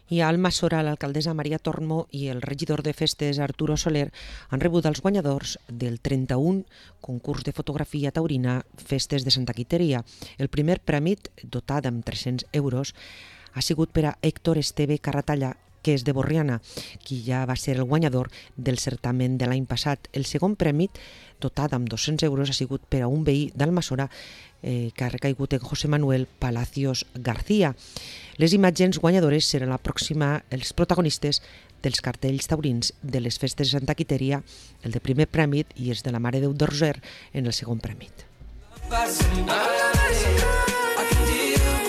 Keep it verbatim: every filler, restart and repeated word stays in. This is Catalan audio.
I a Almassora, l'alcaldessa Maria Tormo i el regidor de festes Arturo Soler han rebut els guanyadors del trenta-un concurs de fotografia taurina Festes de Santa Quiteria. El primer premi, dotat amb tres-cents euros, ha sigut per a Héctor Esteve Carratalla, que és de Borriana, qui ja va ser el guanyador del certamen de l'any passat. El segon premi, dotat amb dos-cents euros, ha sigut per a un veí d'Almassora eh, que ha recaigut en José Manuel Palacios García. Les imatges guanyadores seran la pròxima, els protagonistes dels cartells taurins de les festes de Santa Quiteria, el de primer prèmit i els de la Mare Déu d'Orser en el segon prèmit.